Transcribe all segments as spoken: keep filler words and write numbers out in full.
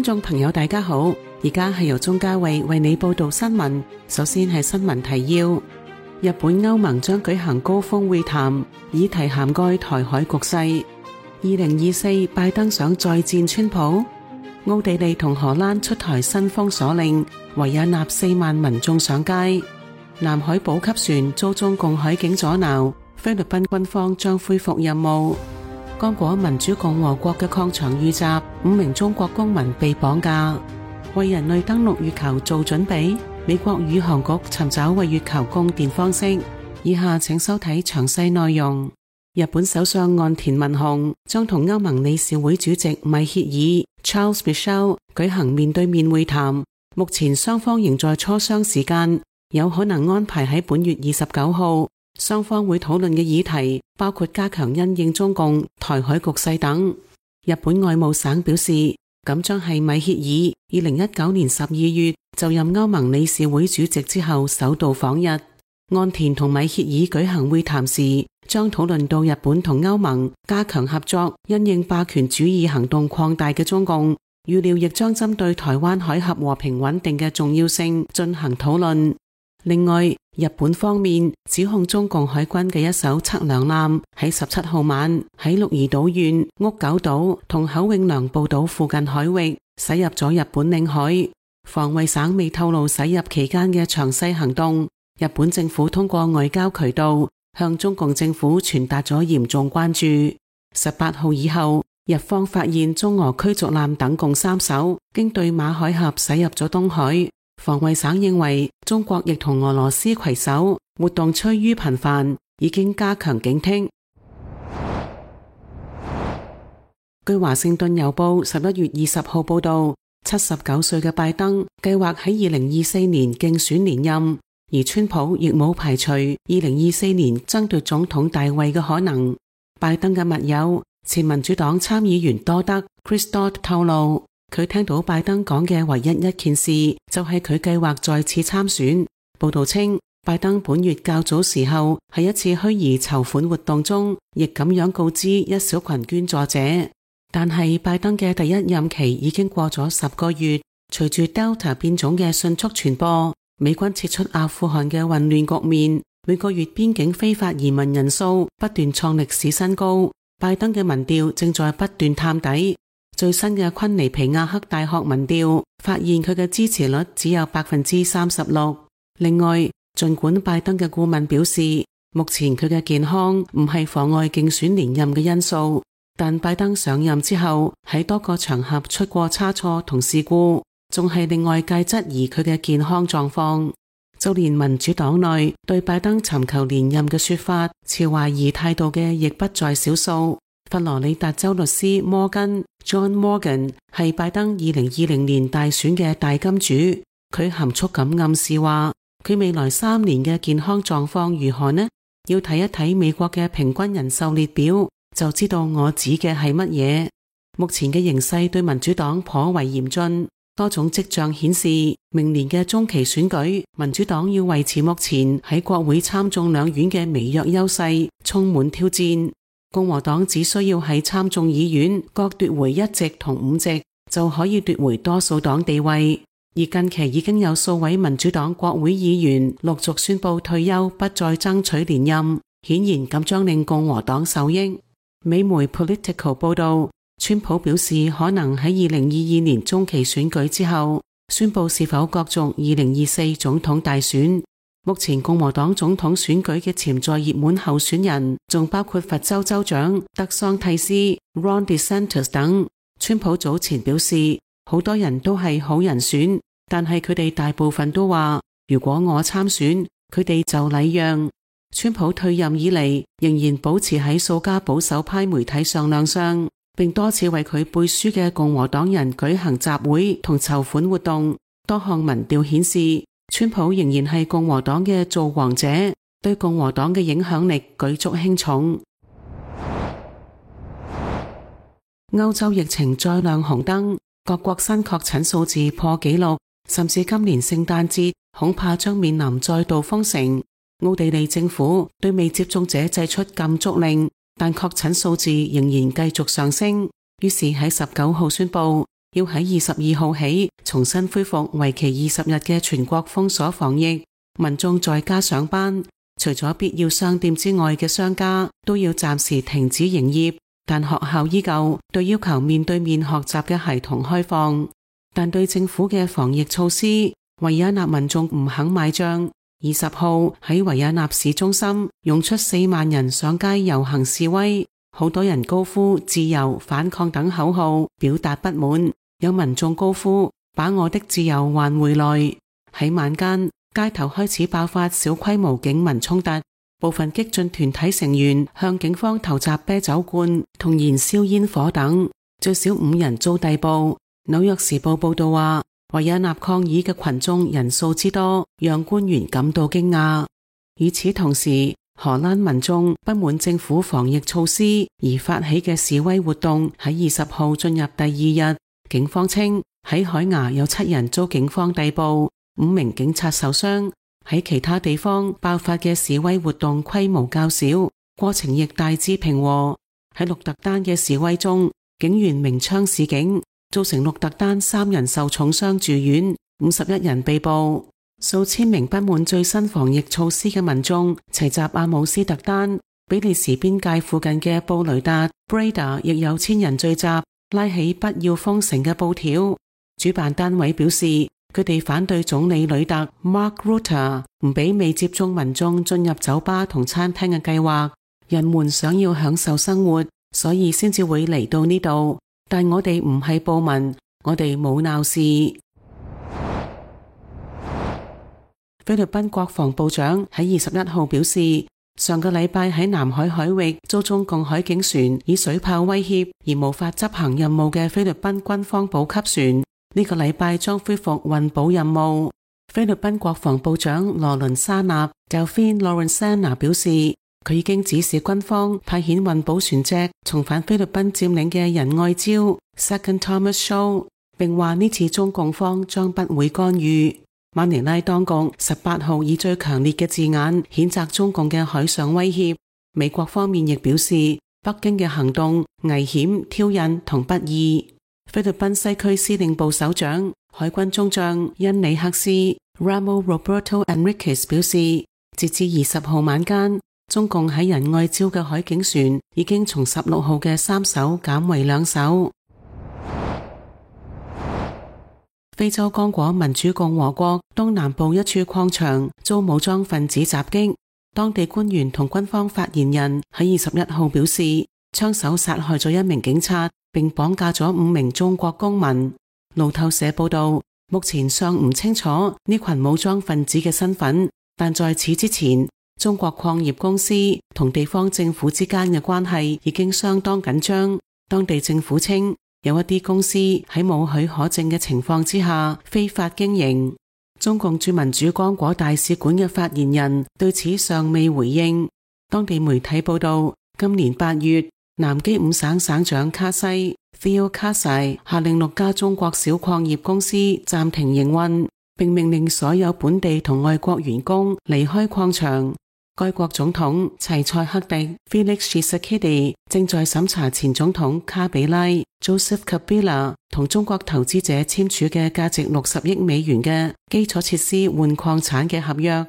眾朋友大家好，而家係由鍾嘉慧為你報道新聞。首先係新聞提要：日本歐盟將舉行高峰會談，議題涵蓋台海局勢。二零二四拜登想再戰川普。奧地利同荷蘭出台新封鎖令，維也納四萬民眾上街。南海補給船遭中共海警阻撓，菲律賓軍方將恢復任務。剛果民主共和國嘅礦場遇襲，五名中國公民被綁架。為人類登陸月球做準備，美國宇航局尋找為月球供電方式。以下請收睇詳細內容。日本首相岸田文雄將同歐盟理事會主席米歇爾 Charles Michel 舉行面對面會談，目前雙方仍在磋商時間，有可能安排喺本月二十九號。雙方會討論嘅議題包括加強因應中共、台海局勢等。日本外務省表示，咁將係米歇爾二零一九年十二月就任歐盟理事會主席之後首度訪日。岸田同米歇爾舉行會談時，將討論到日本同歐盟加強合作，因應霸權主義行動擴大嘅中共，預料亦將針對台灣海峽和平穩定嘅重要性進行討論。另外，日本方面指控中共海軍嘅一艘測量艦喺十七號晚喺鹿兒島縣屋久島同口永良部島附近海域駛入咗日本領海。防衛省未透露駛入期間嘅詳細行動。日本政府通過外交渠道向中共政府傳達咗嚴重關注。十八號以後，日方發現中俄驅逐艦等共三艘經對馬海峽駛入咗東海。防衛省認為中國亦同俄羅斯攜手，活動趨於頻繁，已經加強警惕。據華盛頓郵報十一月二十號報道，七十九歲嘅拜登計劃喺二零二四年競選連任，而川普亦冇排除二零二四年爭奪總統大位嘅可能。拜登嘅密友前民主黨參議員多德 Chris Dodd 透露，佢聽到拜登講嘅唯一一件事就係佢計劃再次參選。報道稱，拜登本月較早時候喺一次虛擬籌款活動中，亦咁樣告知一小群捐助者。但係拜登嘅第一任期已經過咗十個月，隨住 Delta 變種嘅迅速傳播，美軍撤出阿富汗嘅混亂局面，每個月邊境非法移民人數不斷創歷史新高。拜登嘅民調正在不斷探底。最新嘅昆尼皮亞克大學民調發現佢嘅支持率只有百分之三十六。另外，儘管拜登嘅顧問表示，目前佢嘅健康唔係妨礙競選連任嘅因素，但拜登上任之後喺多個場合出過差錯同事故，仲係令外界質疑佢嘅健康狀況。就連民主黨內對拜登尋求連任嘅說法持懷疑態度嘅亦不在少數。佛羅里達州律師摩根 John Morgan 係拜登二零二零年大選嘅大金主，佢含蓄咁暗示話，佢未來三年嘅健康狀況如何呢？要睇一睇美國嘅平均人壽列表，就知道我指嘅係乜嘢。目前嘅形勢對民主黨頗為嚴峻，多種跡象顯示明年嘅中期選舉，民主黨要維持目前喺國會參眾兩院嘅微弱優勢，充滿挑戰。共和黨只需要喺參眾議院各奪回一席同五席，就可以奪回多數黨地位。而近期已經有數位民主黨國會議員陸續宣布退休，不再爭取連任，顯然咁將令共和黨受益。美媒 Political 報道，川普表示可能喺二零二二年中期選舉之後，宣布是否角逐二零二四總統大選。目前共和黨總統選舉嘅潛在熱門候選人仲包括佛州州長德桑蒂斯 Ron DeSantis 等。川普早前表示，好多人都係好人選，但係佢哋大部分都話，如果我參選，佢哋就禮讓。川普退任以嚟，仍然保持喺數家保守派媒體上亮相，並多次為佢背書嘅共和黨人舉行集會同籌款活動。多項民調顯示，川普仍然係共和黨嘅造王者，對共和黨嘅影響力舉足輕重。歐洲疫情再亮紅燈，各國新確診數字破紀錄，甚至今年聖誕節恐怕將面臨再度封城。奧地利政府對未接種者祭出禁足令，但確診數字仍然繼續上升，於是喺十九號宣布要喺二十二號起重新恢復為期二十日嘅全國封鎖防疫，民眾在家上班，除咗必要商店之外嘅商家都要暫時停止營業，但學校依舊對要求面對面學習嘅孩童開放。但對政府嘅防疫措施，維也納民眾唔肯買賬。二十號喺維也納市中心湧出四萬人上街遊行示威，好多人高呼自由、反抗等口號表達不滿，有民眾高呼把我的自由還回來。喺晚間，街頭開始爆發小規模警民衝突，部分激進團體成員向警方投擲啤酒罐同燃燒煙火等，最少五人遭逮捕。紐約時報報道話，維也納抗議嘅群眾人數之多，讓官員感到驚訝。與此同時，荷蘭民眾不滿政府防疫措施而發起嘅示威活動喺二十號進入第二日。警方稱喺海牙有七人遭警方逮捕，五名警察受傷。喺其他地方爆發嘅示威活動規模較小，過程亦大致平和。喺鹿特丹嘅示威中，警員鳴槍示警，造成鹿特丹三人受重傷住院，五十一人被捕。數千名不滿最新防疫措施嘅民眾齊集阿姆斯特丹，比利時邊界附近嘅布雷達 Breda 亦有千人聚集，拉起不要封城嘅布條。主辦單位表示，佢哋反對總理呂特 Mark Rutte 唔俾未接種民眾進入酒吧同餐廳嘅計劃。人們想要享受生活，所以先至會嚟到呢度。但我哋唔係暴民，我哋冇鬧事。菲律賓國防部長喺二十一號表示，上個禮拜喺南海海域遭中共海警船以水炮威脅而無法執行任務嘅菲律賓軍方補給船，呢個禮拜將恢復運補任務。菲律賓國防部長羅倫沙納 Delfin Lorenzana 表示，佢已經指示軍方派遣運補船隻重返菲律賓佔領嘅仁愛礁 Second Thomas Shoal， 並話呢次中共方將不會干預。馬尼拉當局十八號以最強烈嘅字眼譴責中共嘅海上威脅。美國方面亦表示，北京嘅行動危險、挑釁同不義。菲律賓西區司令部首長、海軍中將恩里克斯 Ramo Roberto Enriquez 表示，截至二十號晚間，中共喺仁愛礁嘅海警船已經從十六號嘅三艘減為兩艘。非洲剛果民主共和國東南部一處礦場遭武裝分子襲擊，當地官員同軍方發言人喺二十一號表示，槍手殺害咗一名警察，並綁架咗五名中國公民。路透社報道，目前尚唔清楚呢群武裝分子嘅身份，但在此之前，中國礦業公司同地方政府之間嘅關係已經相當緊張。當地政府稱，有一啲公司喺冇許可證嘅情況之下非法經營。中共駐民主剛果大使館嘅發言人對此尚未回應。當地媒體報道，今年八月，南基五省省長卡西 Theo Kasai 下令六家中國小礦業公司暫停營運，並命令所有本地同外國員工離開礦場。該國總統齊塞克迪 Felix Tshisekedi 正在審查前總統卡比拉 Joseph Kabila 同中國投資者簽署嘅價值六十億美元嘅基礎設施換礦產嘅合約。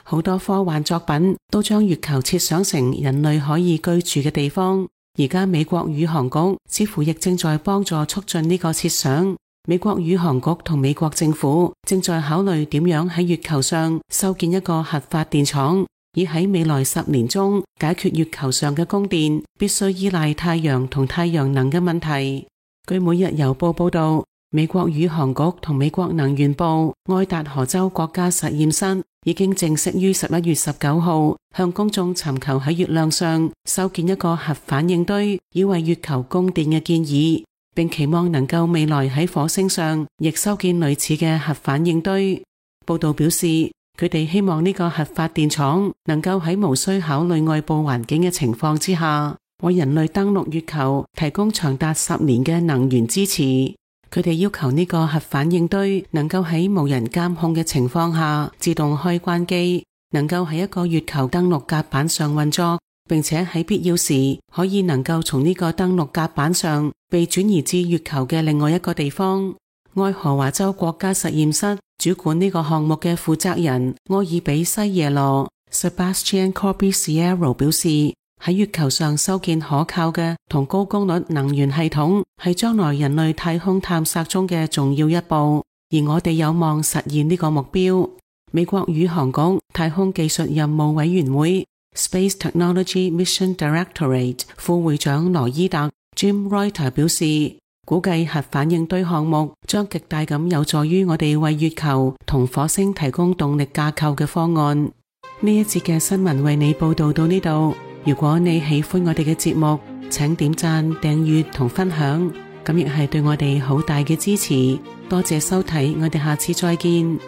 好多科幻作品都將月球設想成人類可以居住嘅地方，而家美國宇航局似乎亦正在幫助促進呢個設想。美國宇航局同美國政府正在考慮點樣喺月球上修建一個核發電廠，以喺未來十年中解決月球上嘅供電必須依賴太陽同太陽能嘅問題。據每日郵報報道，美國宇航局同美國能源部愛達荷州國家實驗室已經正式於十一月十九號向公眾尋求喺月亮上修建一個核反應堆，以為月球供電嘅建議，並期望能夠未來喺火星上亦修建類似嘅核反應堆。報道表示，佢哋希望呢個核發電廠能夠喺無需考慮外部環境嘅情況之下，為人類登陸月球提供長達十年嘅能源支持。佢哋要求呢個核反應堆能夠喺無人監控嘅情況下自動開關機，能夠喺一個月球登陸甲板上運作，並且喺必要時可以能夠從呢個登陸甲板上被轉移至月球嘅另外一個地方。愛荷華州國家實驗室主管呢個項目嘅負責人柯爾比西耶羅 Sebastian Corbisiero 表示，喺月球上修建可靠嘅同高功率能源系統係將來人類太空探索中嘅重要一步，而我哋有望實現呢個目標。美國宇航局太空技術任務委員會 Space Technology Mission Directorate 副會長羅伊特 Jim Reuter 表示，估計核反應堆項目將極大咁有助於我哋為月球同火星提供動力架構嘅方案。呢一節嘅新聞為你報道到呢度。如果你喜歡我哋嘅節目，請點讚、訂閱同分享，咁亦係對我哋好大嘅支持。多謝收睇，我哋下次再見。